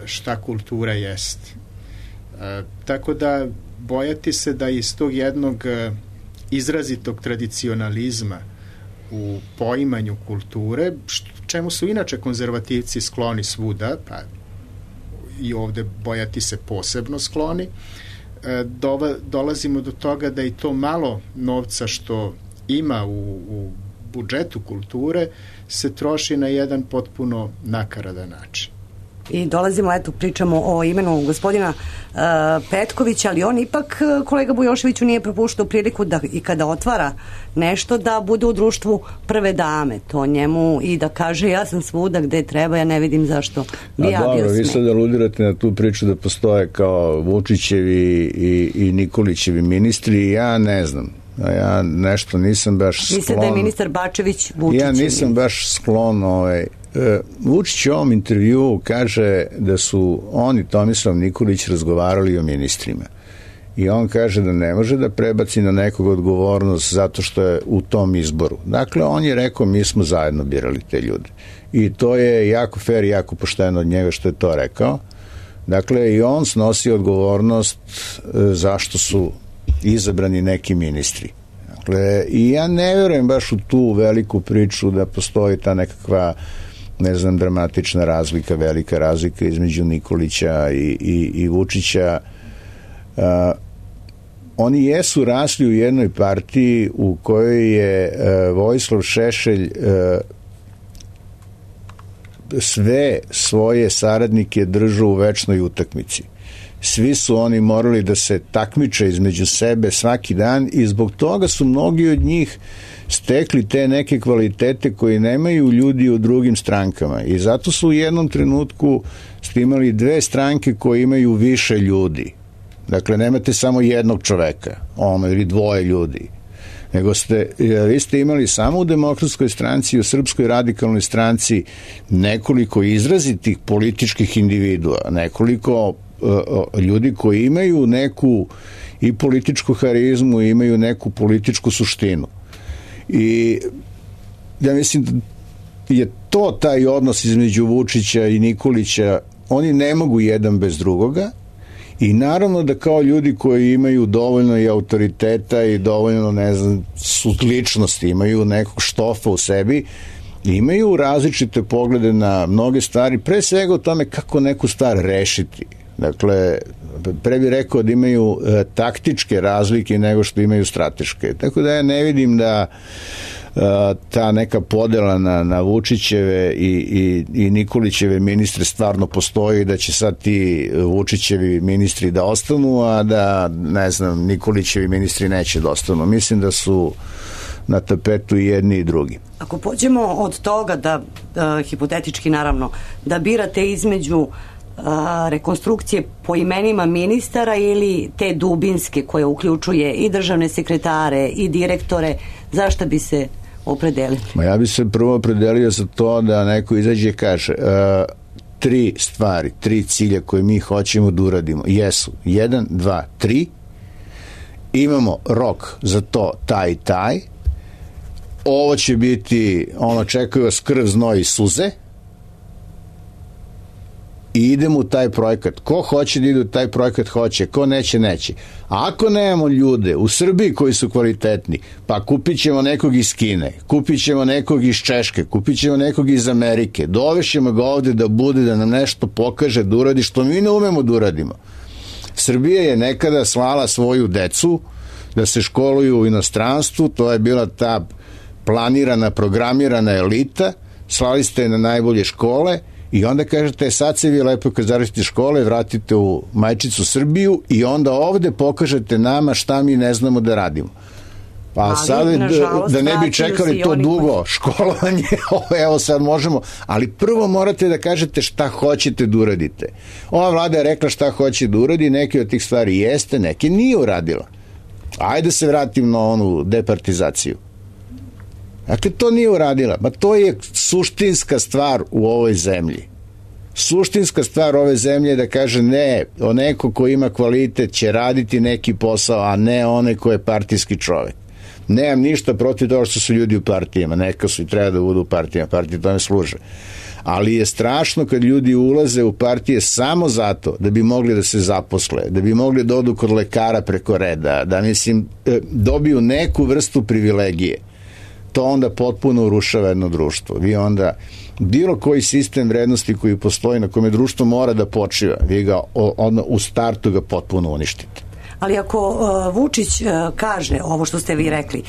šta kultura jeste. E, tako da bojati se da iz tog jednog izrazitog tradicionalizma u poimanju kulture, čemu su inače konzervativci skloni svuda, pa i ovde bojati se posebno skloni, dova, dolazimo do toga da i to malo novca što ima u, u budžetu kulture se troši na jedan potpuno nakaradan način. I dolazimo, eto, pričamo o imenu gospodina uh, Petkovića, ali on ipak, kolega Bujoševiću, nije propuštao priliku da i kada otvara nešto da bude u društvu prve dame, to njemu i da kaže ja sam svuda gde treba, ja ne vidim zašto bi ja bio sme. A dobro, vi sad aludirate na tu priču da postoje kao Vučićevi i, i Nikolićevi ministri, ja ne znam. Ja nešto nisam baš sklon. Mislim da je ministar Bačević Vučić. Ja nisam baš sklon ovaj, Vučić u ovom intervjuu kaže da su oni, Tomislav Nikolić, razgovarali o ministrima i on kaže da ne može da prebaci na nekog odgovornost zato što je u tom izboru. Dakle, on je rekao mi smo zajedno birali te ljude i to je jako fair i jako pošteno od njega što je to rekao. Dakle, i on snosi odgovornost zašto su izabrani neki ministri. Dakle, i ja ne vjerujem baš u tu veliku priču da postoji ta nekakva, ne znam, dramatična razlika, velika razlika između Nikolića i, i, i Vučića. Uh, oni jesu rasli u jednoj partiji u kojoj je uh, Vojislav Šešelj uh, sve svoje saradnike držao u večnoj utakmici. Svi su oni morali da se takmiče između sebe svaki dan i zbog toga su mnogi od njih stekli te neke kvalitete koje nemaju ljudi u drugim strankama i zato su u jednom trenutku ste imali dve stranke koje imaju više ljudi. Dakle, nemate samo jednog čoveka, ono, ili dvoje ljudi, nego ste, vi ste imali samo u Demokratskoj stranci i u Srpskoj radikalnoj stranci nekoliko izrazitih političkih individua, nekoliko ljudi koji imaju neku i političku harizmu i imaju neku političku suštinu. I ja mislim da je to taj odnos između Vučića i Nikolića, oni ne mogu jedan bez drugoga i naravno da kao ljudi koji imaju dovoljno i autoriteta i dovoljno, ne znam, su ličnosti, imaju nekog štofa u sebi, imaju različite poglede na mnoge stvari, pre svega o tome kako neku stvar rešiti. Dakle, pre bih rekao da imaju e, taktičke razlike nego što imaju strateške. Tako da ja ne vidim da e, ta neka podela na, na Vučićeve i, i, i Nikolićeve ministre stvarno postoji, da će sad ti Vučićevi ministri da ostanu, a da, ne znam, Nikolićevi ministri neće da ostanu. Mislim da su na tapetu i jedni i drugi. Ako pođemo od toga da, da hipotetički naravno, da birate između a, rekonstrukcije po imenima ministara ili te dubinske koje uključuje i državne sekretare i direktore, zašto bi se opredelili? Ma ja bi se prvo opredelio za to da neko izađe i kaže a, tri stvari, tri cilja koje mi hoćemo da uradimo jesu jedan, dva, tri, imamo rok za to taj i taj, ovo će biti, ono, čekaju vas krv, znoj i suze i idemo u taj projekat. Ko hoće da ide u taj projekat, hoće, ko neće, neće. A ako nemamo ljude u Srbiji koji su kvalitetni, pa kupit ćemo nekog iz Kine, kupit ćemo nekog iz Češke, kupit ćemo nekog iz Amerike, dovešćemo ga ovde da bude, da nam nešto pokaže, da uradi što mi ne umemo da uradimo. Srbija je nekada slala svoju decu da se školuju u inostranstvu, to je bila ta planirana, programirana elita, slali ste na najbolje škole i onda kažete, sad se vi lepo kad završite škole, vratite u majčicu Srbiju i onda ovde pokažete nama šta mi ne znamo da radimo. Pa ali, sad, nažalost, da ne bi čekali to dugo koji... školovanje, evo sad možemo, ali prvo morate da kažete šta hoćete da uradite. Ova vlada je rekla šta hoće da uradi, neke od tih stvari jeste, neke nije uradila. Ajde se vratim na onu departizaciju. Dakle, to nije uradila. Ma to je suštinska stvar u ovoj zemlji. Suštinska stvar ove zemlje je da kaže ne, o neko ko ima kvalitet će raditi neki posao, a ne onaj ko je partijski čovek. Nemam ništa protiv toga što su ljudi u partijama. Neka su i treba da budu u partijama. Partije tome služe. Ali je strašno kad ljudi ulaze u partije samo zato da bi mogli da se zaposle, da bi mogli da odu kod lekara preko reda, da, mislim, dobiju neku vrstu privilegije. To onda potpuno urušava jedno društvo. Vi onda, bilo koji sistem vrednosti koji postoji na kome društvo mora da počiva, vi ga onda u startu ga potpuno uništite. Ali ako uh, Vučić uh, kaže ovo što ste vi rekli,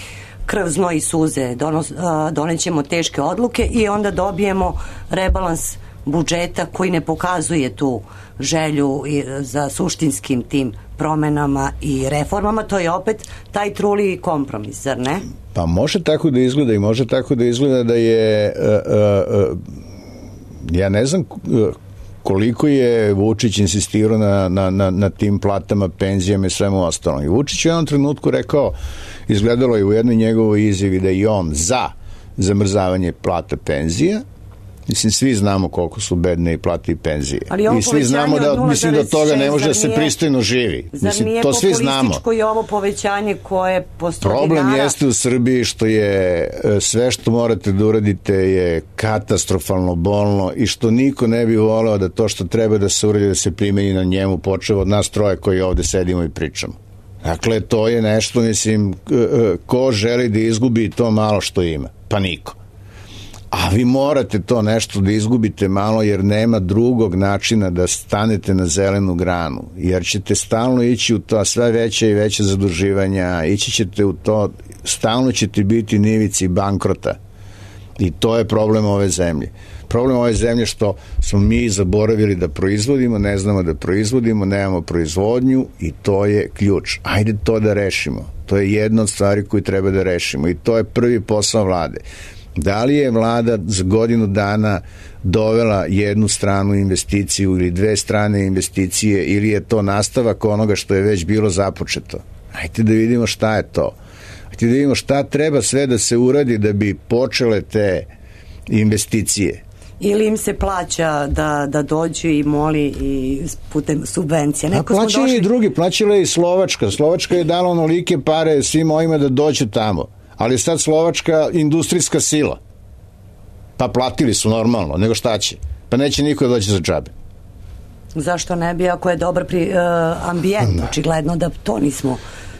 krv, znoj i suze, donos, uh, donećemo teške odluke i onda dobijemo rebalans budžeta koji ne pokazuje tu želju i, za suštinskim tim promenama i reformama, to je opet taj truli kompromis, zar ne? Pa može tako da izgleda i može tako da izgleda da je uh, uh, uh, ja ne znam uh, koliko je Vučić insistirao na, na, na, na tim platama, penzijama i svemu ostalom. I Vučić je u jednom trenutku rekao, izgledalo je u jednoj njegovoj izjavi da je on za zamrzavanje plata penzija. Mislim, svi znamo koliko su bedne i plate i penzije. I svi znamo da, mislim, da toga ne može da se pristojno živi. Mislim, to svi znamo. Zar nije populističko i ovo povećanje koje postoji dinara? Problem jeste u Srbiji što je sve što morate da uradite je katastrofalno bolno i što niko ne bi voleo da to što treba da se uradi da se primeni na njemu, počeo od nas troje koji ovde sedimo i pričamo. Dakle, to je nešto, mislim, ko želi da izgubi to malo što ima? Pa niko. A vi morate to nešto da izgubite malo jer nema drugog načina da stanete na zelenu granu, jer ćete stalno ići u to sve veće i veće zaduživanja, ići ćete u to, stalno ćete biti na ivici bankrota i to je problem ove zemlje. Problem ove zemlje što smo mi zaboravili da proizvodimo, ne znamo da proizvodimo, nemamo proizvodnju i to je ključ. Ajde to da rešimo. To je jedna od stvari koju treba da rešimo i to je prvi posao vlade. Da li je vlada za godinu dana dovela jednu stranu investiciju ili dve strane investicije ili je to nastavak onoga što je već bilo započeto? Hajde da vidimo šta je to. Hajde da vidimo šta treba sve da se uradi da bi počele te investicije. Ili im se plaća da, da dođu i moli i putem subvencija. Neko A plaćaju došli... i drugi, plaćala je i Slovačka. Slovačka je dala onolike pare svim ovima da dođu tamo. Ali sad Slovačka industrijska sila. Pa platili su normalno, nego šta će? Pa neće niko doći za džabe. Zašto ne bi, ako je dobar pri, uh, ambijent, da. Očigledno da to nismo,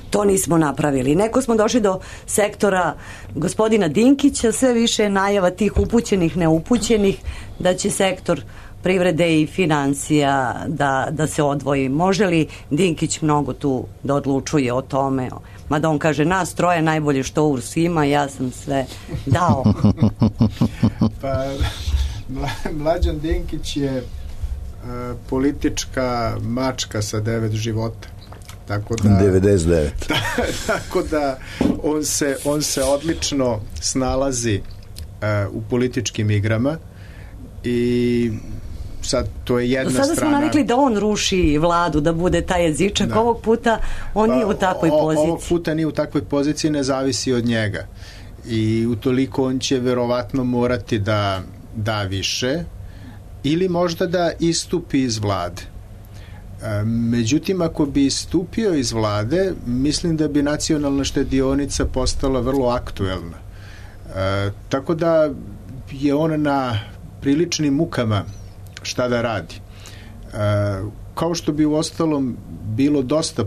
to nismo napravili. Neko smo došli do sektora gospodina Dinkića, sve više najava tih upućenih, neupućenih, da će sektor privrede i financija da, da se odvoji. Može li Dinkić mnogo tu da odlučuje o tome? Mada on kaže, nas troje najbolje što U R S ima, ja sam sve dao. Pa, Mlađan Dinkić je uh, politička mačka sa devet života. Tako da, devedeset devet. Tako da on se, on se odlično snalazi uh, u političkim igrama i sad to je jedna strana. Do sada smo navikli da on ruši vladu, da bude taj jezičak. Da. Ovog puta on pa, nije u takvoj o, poziciji. Ovog puta nije u takvoj poziciji, ne zavisi od njega. I utoliko on će verovatno morati da da više ili možda da istupi iz vlade. E, međutim, ako bi istupio iz vlade, mislim da bi nacionalna štedionica postala vrlo aktuelna. E, tako da je on na priličnim mukama šta da radi. E, kao što bi u ostalom bilo dosta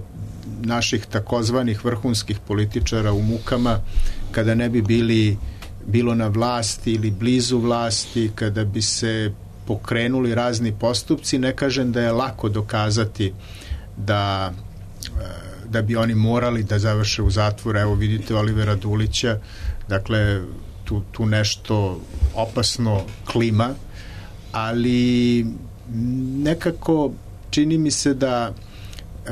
naših takozvanih vrhunskih političara u mukama kada ne bi bili bilo na vlasti ili blizu vlasti, kada bi se pokrenuli razni postupci. Ne kažem da je lako dokazati da, da bi oni morali da završe u zatvoru. Evo vidite Olivera Dulića, dakle tu, tu nešto opasno klima, ali nekako čini mi se da e,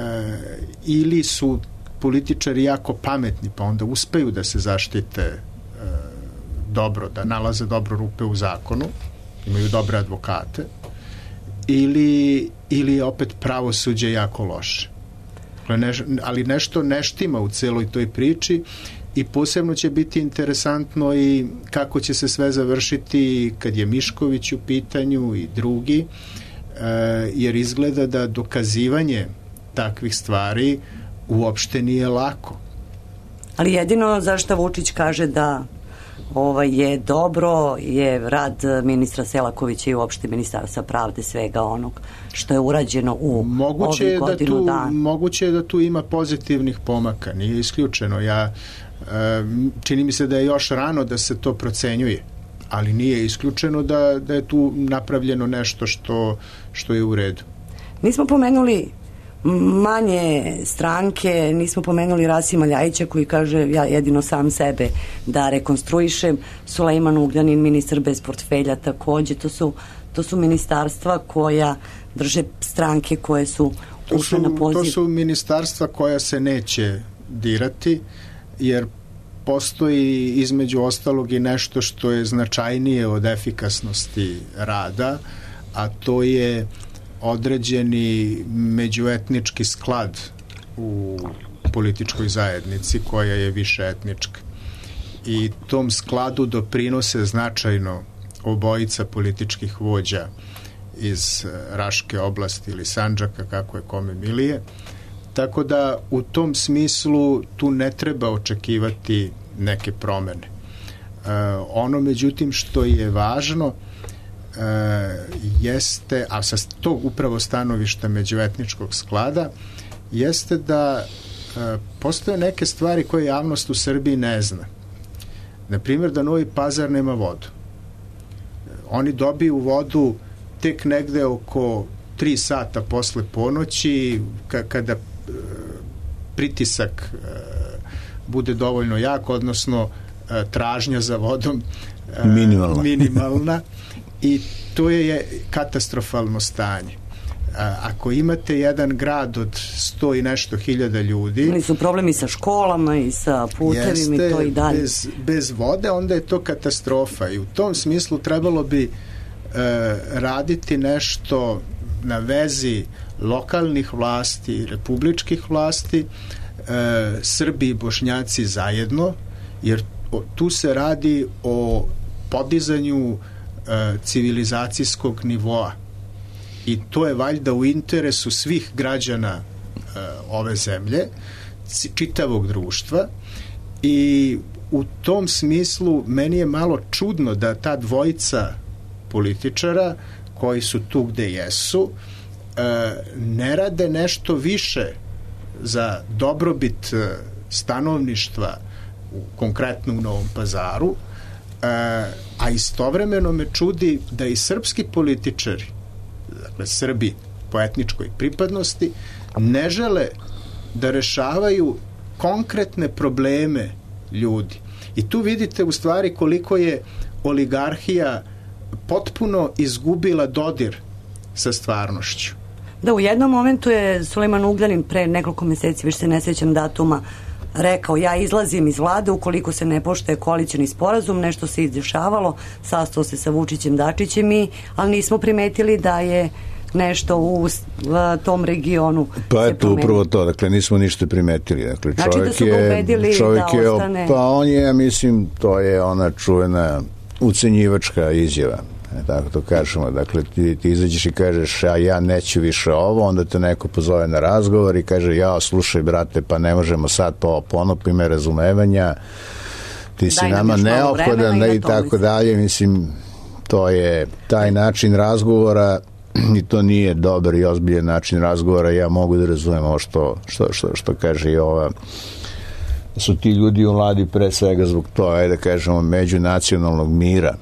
ili su političari jako pametni pa onda uspeju da se zaštite e, dobro, da nalaze dobro rupe u zakonu, imaju dobre advokate, ili, ili je opet pravosuđe jako loše. Ne, ali nešto ne štima u celoj toj priči i posebno će biti interesantno i kako će se sve završiti kad je Mišković u pitanju i drugi, e, jer izgleda da dokazivanje takvih stvari uopšte nije lako. Ali jedino zašto Vučić kaže da ovaj, je dobro je rad ministra Selakovića i uopšte ministarstva pravde, svega onog što je urađeno u moguće ovih godinu da tu, dana. Moguće je da tu ima pozitivnih pomaka, nije isključeno. Ja, e, čini mi se da je još rano da se to procenjuje, ali nije isključeno da, da je tu napravljeno nešto što, što je u redu. Nismo pomenuli manje stranke, nismo pomenuli Rasima Ljajića koji kaže ja jedino sam sebe da rekonstruišem, Sulejman Ugljanin, ministar bez portfelja takođe, to su, to su ministarstva koja drže stranke koje su ušle na poziv. To su ministarstva koja se neće dirati, jer postoji između ostalog i nešto što je značajnije od efikasnosti rada, a to je određeni međuetnički sklad u političkoj zajednici koja je više etnička. I tom skladu doprinose značajno obojica političkih vođa iz Raške oblasti ili Sandžaka, kako je kome milije. Tako da u tom smislu tu ne treba očekivati neke promene. E, ono međutim što je važno Uh, jeste, a sa tog upravo stanovišta međuetničkog sklada, jeste da uh, postoje neke stvari koje javnost u Srbiji ne zna. Naprimjer, da Novi Pazar nema vodu. Oni dobiju vodu tek negde oko tri sata posle ponoći, ka- kada uh, pritisak uh, bude dovoljno jak, odnosno uh, tražnja za vodom uh, minimalna. minimalna. I to je katastrofalno stanje. A, ako imate jedan grad od sto i nešto hiljada ljudi... Oni su problemi sa školama i sa putevima i to i dalje. Bez, bez vode, onda je to katastrofa. I u tom smislu trebalo bi e, raditi nešto na vezi lokalnih vlasti, republičkih vlasti, e, Srbi i Bošnjaci zajedno, jer o, tu se radi o podizanju civilizacijskog nivoa i to je valjda u interesu svih građana uh, ove zemlje, čitavog društva, i u tom smislu meni je malo čudno da ta dvojica političara koji su tu gde jesu uh, ne rade nešto više za dobrobit uh, stanovništva u, konkretno u Novom Pazaru, a istovremeno me čudi da i srpski političari dakle Srbi po etničkoj pripadnosti, ne žele da rešavaju konkretne probleme ljudi. I tu vidite u stvari koliko je oligarhija potpuno izgubila dodir sa stvarnošću. Da, u jednom momentu je Sulejman Ugljanin pre nekoliko meseci, više se ne sjećam datuma, rekao ja izlazim iz vlade ukoliko se ne poštuje koalicioni sporazum, nešto se izdešavalo, sastao se sa Vučićem, Dačićem i, ali nismo primetili da je nešto u tom regionu pa eto upravo to, dakle nismo ništa primetili, dakle znači čovjek da su ga ubedili je čovjek da je, ostane pa on je, ja mislim, to je ona čuvena ucenjivačka izjava, tako to kažemo, dakle ti, ti izađeš i kažeš a ja neću više ovo, onda te neko pozove na razgovor i kaže ja slušaj brate, pa ne možemo sad po ponopi me razumevanja, ti si daj nama neophodan i, i tako dalje, mislim to je taj način razgovora i to nije dobar i ozbiljan način razgovora. Ja mogu da razumem ovo što, što, što, što kaže i ova, su ti ljudi u vladi pre svega zbog toga, ajde da kažemo, međunacionalnog mira.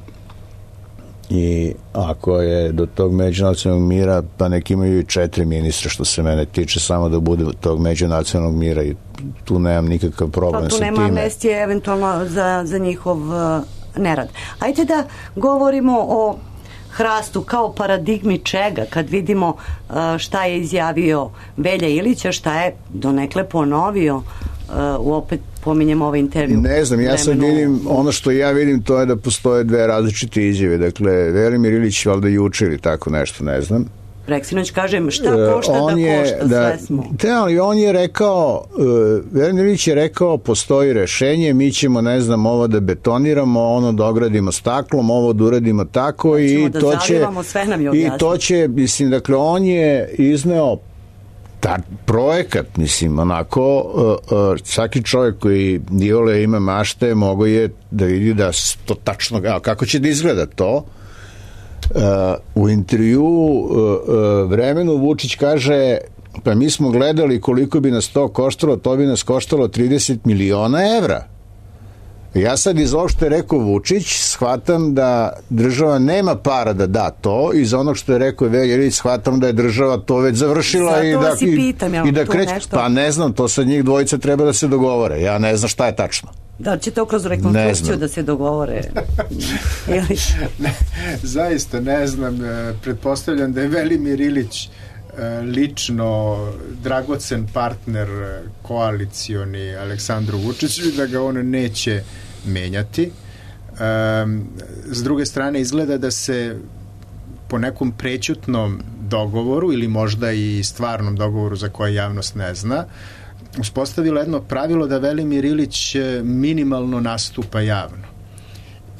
I ako je do tog međunacionalnog mira, pa nek imaju i četiri ministra, što se mene tiče, samo da bude tog međunacionalnog mira i tu nemam nikakav problem sa time. Pa tu nema amnestije eventualno za, za njihov uh, nerad. Ajde da govorimo o hrastu kao paradigmi čega, kad vidimo uh, šta je izjavio Velja Ilića, šta je donekle ponovio uh, u opet pominjem ovaj intervju. Ne znam, ja sad vidim, ono što ja vidim to je da postoje dve različite izjave, dakle Velimir Ilić valjda juče ili tako nešto, ne znam. Preksinoć kažem šta košta uh, da je, košta, da, sve smo. Te, ali on je rekao, uh, Velimir Ilić je rekao postoji rešenje, mi ćemo ne znam ovo da betoniramo, ono da ogradimo staklom, ovo da uradimo tako i da to će sve nam je i to će, mislim, dakle on je izneo ta projekat, mislim, onako uh, uh, svaki čovjek koji iole ima mašte mogo je da vidi da to tačno, a, kako će da izgleda to. Uh, u intervju uh, uh, Vremenu Vučić kaže pa mi smo gledali koliko bi nas to koštalo, to bi nas koštalo trideset miliona evra. Ja sad iz ovog što je rekao Vučić shvatam da država nema para da da to, iz onog što je rekao Velja Ilić shvatam da je država to već završila. Zato i da, i, pitam, i, i da kreće, pa ne znam, to sad njih dvojica treba da se dogovore, ja ne znam šta je tačno. Da li će to kroz rekonstrukciju da se dogovore? Ili... ne, zaista ne znam, pretpostavljam da je Velimir Ilić lično dragocen partner koalicioni Aleksandru Vučiću i da ga on neće menjati. S druge strane izgleda da se po nekom prećutnom dogovoru ili možda i stvarnom dogovoru za koje javnost ne zna uspostavilo jedno pravilo da Velimir Ilić minimalno nastupa javno.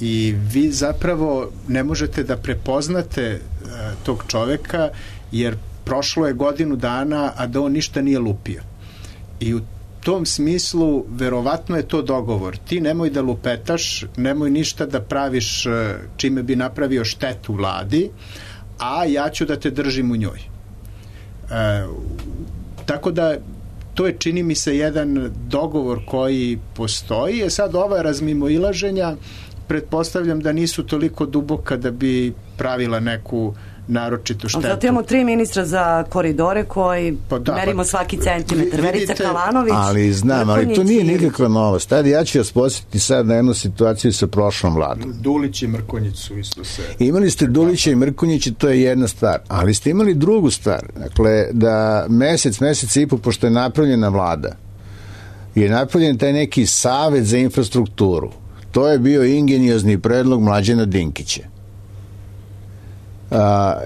I vi zapravo ne možete da prepoznate tog čoveka jer prošlo je godinu dana, a da on ništa nije lupio. I u tom smislu verovatno je to dogovor. Ti nemoj da lupetaš, nemoj ništa da praviš čime bi napravio štetu vladi, a ja ću da te držim u njoj. E, tako da to je, čini mi se, jedan dogovor koji postoji. E sad ova razmimoilaženja pretpostavljam da nisu toliko duboka da bi pravila neku naročitu štetu. Zato imamo tri ministra za koridore koji pa da, merimo svaki centimetar. Verica Kalanović. Ali znam, ali to nije nikakva novost. Tad ja ću vas posjetiti sad na jednu situaciju sa prošlom vladom. Dulić i Mrkonjić su isto se... Imali ste Dulića i Mrkonjića, to je jedna stvar. Ali ste imali drugu stvar. Dakle, da mesec, mesec i po, pošto je napravljena vlada, je napravljen taj neki savet za infrastrukturu. To je bio ingeniozni predlog Mlađana Dinkića. A,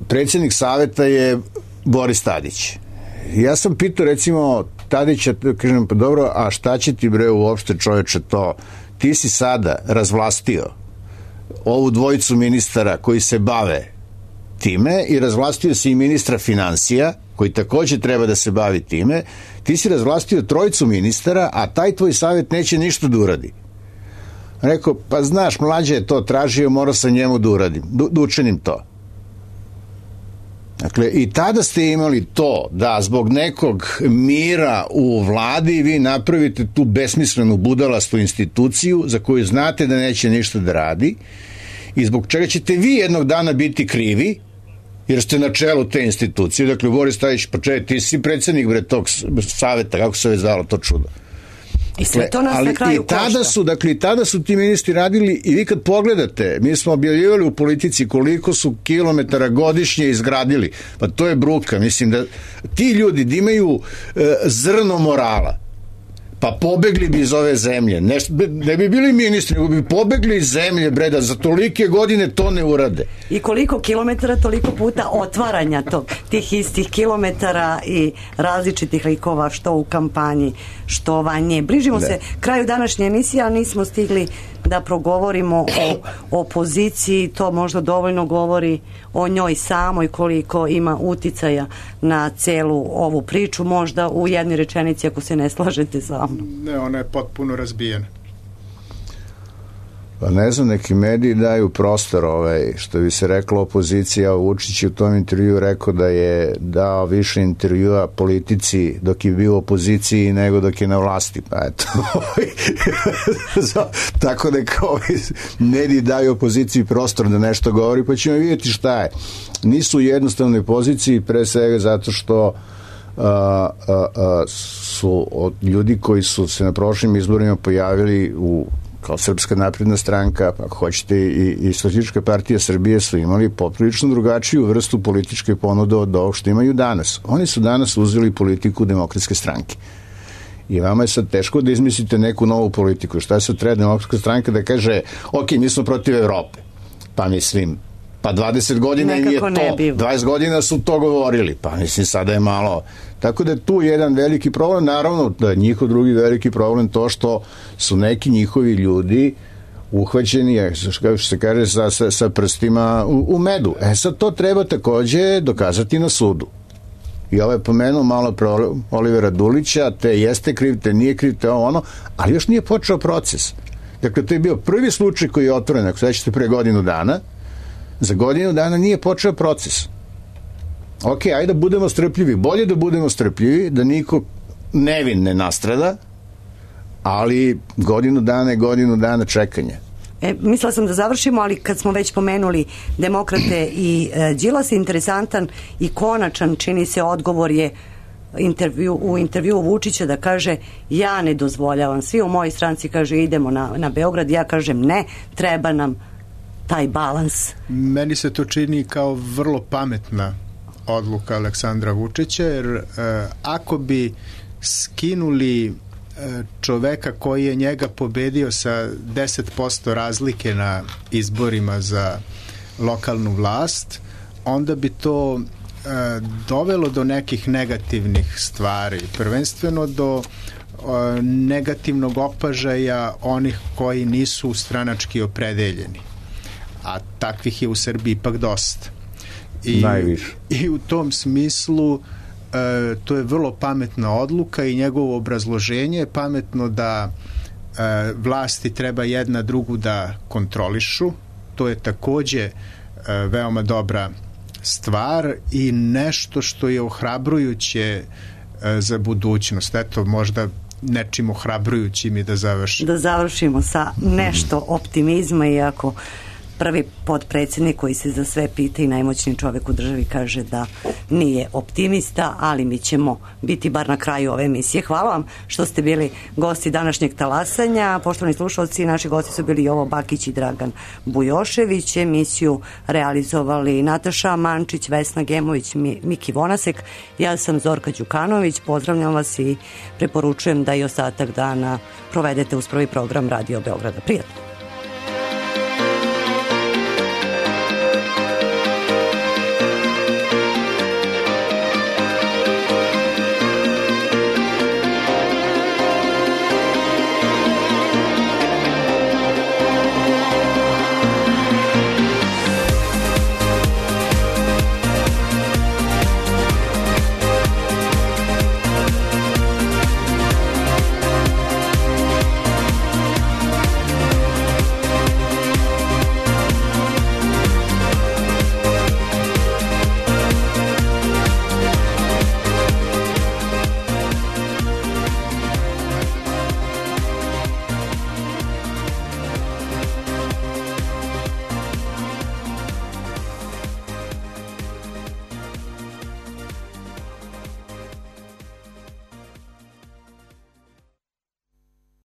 predsjednik saveta je Boris Tadić. Ja sam pitao recimo Tadića, kažem pa dobro, a šta će ti bre uopšte čoveče to, ti si sada razvlastio ovu dvojicu ministara koji se bave time i razvlastio si i ministra financija koji također treba da se bavi time, ti si razvlastio trojicu ministara, a taj tvoj savjet neće ništa da uradi. Rekao, pa znaš, Mlađe je to tražio, morao sam njemu da uradim, da učinim to. Dakle, i tada ste imali to da zbog nekog mira u vladi vi napravite tu besmislenu budalastu instituciju za koju znate da neće ništa da radi i zbog čega ćete vi jednog dana biti krivi jer ste na čelu te institucije. Dakle, Boris Tadić, pa čekaj, ti si predsjednik bre tog saveta, kako se već zvalo to čudo. I sve to nas na kraju i tada košta. su, dakle, i tada su ti ministri radili, i vi kad pogledate, mi smo objavljivali u Politici koliko su kilometara godišnje izgradili, pa to je bruka, mislim da ti ljudi da imaju e, zrno morala, pa pobegli bi iz ove zemlje, ne, ne bi bili ministri, nego bi pobegli iz zemlje, bre, da za tolike godine to ne urade. I koliko kilometara, toliko puta otvaranja tog, tih istih kilometara i različitih likova, što u kampanji, što vanje. Bližimo Ne. se kraju današnje emisije, ali nismo stigli da progovorimo o opoziciji, to možda dovoljno govori o njoj samoj, koliko ima uticaja na celu ovu priču, možda u jednoj rečenici ako se ne slažete sa mnom. Ne, ona je potpuno razbijena. Pa ne znam, neki mediji daju prostor, ovaj, što bi se reklo opozicija. Vučić je u tom intervju rekao da je dao više intervjua politici dok je bio u opoziciji nego dok je na vlasti, pa eto. Tako da kao mediji daju opoziciji prostor da nešto govori, pa ćemo vidjeti šta je. Nisu u jednostavnoj poziciji, pre svega zato što Uh, uh, uh, su od ljudi koji su se na prošlim izborima pojavili u kao Srpska napredna stranka, ako hoćete i, i Socijalistička partija Srbije, su imali poprilično drugačiju vrstu političke ponude od ovog što imaju danas. Oni su danas uzeli politiku Demokratske stranke. I vama je sad teško da izmislite neku novu politiku. Šta se treba Demokratska stranka da kaže, ok, mi smo protiv Evrope. Pa mislim, pa dvadeset godina im je to, dvadeset godina su to govorili, pa mislim sada je malo, tako da je tu jedan veliki problem, naravno da je njihov drugi veliki problem to što su neki njihovi ljudi uhvaćeni, kako se kaže, sa, sa, sa prstima u, u medu. E sad to treba takođe dokazati na sudu. I ovo je pomenuo malo pro Olivera Dulića, te jeste kriv, te nije kriv, te ovo ono, ali još nije počeo proces. Dakle, to je bio prvi slučaj koji je otvoren, ako sećate, pre godinu dana. Za godinu dana nije počeo proces. Ok, ajde da budemo strpljivi. Bolje da budemo strpljivi, da niko nevin ne nastrada, ali godinu dana je godinu dana čekanja. E, mislila sam da završimo, ali kad smo već pomenuli Demokrate i e, Đilas, interesantan i konačan, čini se, odgovor je intervju, u intervju Vučića da kaže ja ne dozvoljavam. Svi u mojoj stranci kaže idemo na, na Beograd, ja kažem ne, treba nam taj balans. Meni se to čini kao vrlo pametna odluka Aleksandra Vučića, jer e, ako bi skinuli e, čoveka koji je njega pobedio sa deset posto razlike na izborima za lokalnu vlast, onda bi to e, dovelo do nekih negativnih stvari, prvenstveno do e, negativnog opažaja onih koji nisu stranački opredeljeni, a takvih je u Srbiji ipak dosta. I, najviše. I u tom smislu e, to je vrlo pametna odluka i njegovo obrazloženje je pametno da e, vlasti treba jedna drugu da kontrolišu. To je takođe e, veoma dobra stvar i nešto što je ohrabrujuće e, za budućnost. Eto, možda nečim ohrabrujućim i da završimo. Da završimo sa nešto optimizma, iako prvi potpredsjednik koji se za sve pita i najmoćniji čovjek u državi kaže da nije optimista, ali mi ćemo biti bar na kraju ove emisije. Hvala vam što ste bili gosti današnjeg talasanja. Poštovani slušalci, naši gosti su bili Jovo Bakić i Dragan Bujošević. Emisiju realizovali Nataša Mančić, Vesna Gemović, Miki Vonasek. Ja sam Zorka Đukanović. Pozdravljam vas i preporučujem da i ostatak dana provedete uz prvi program Radio Beograda. Prijatno.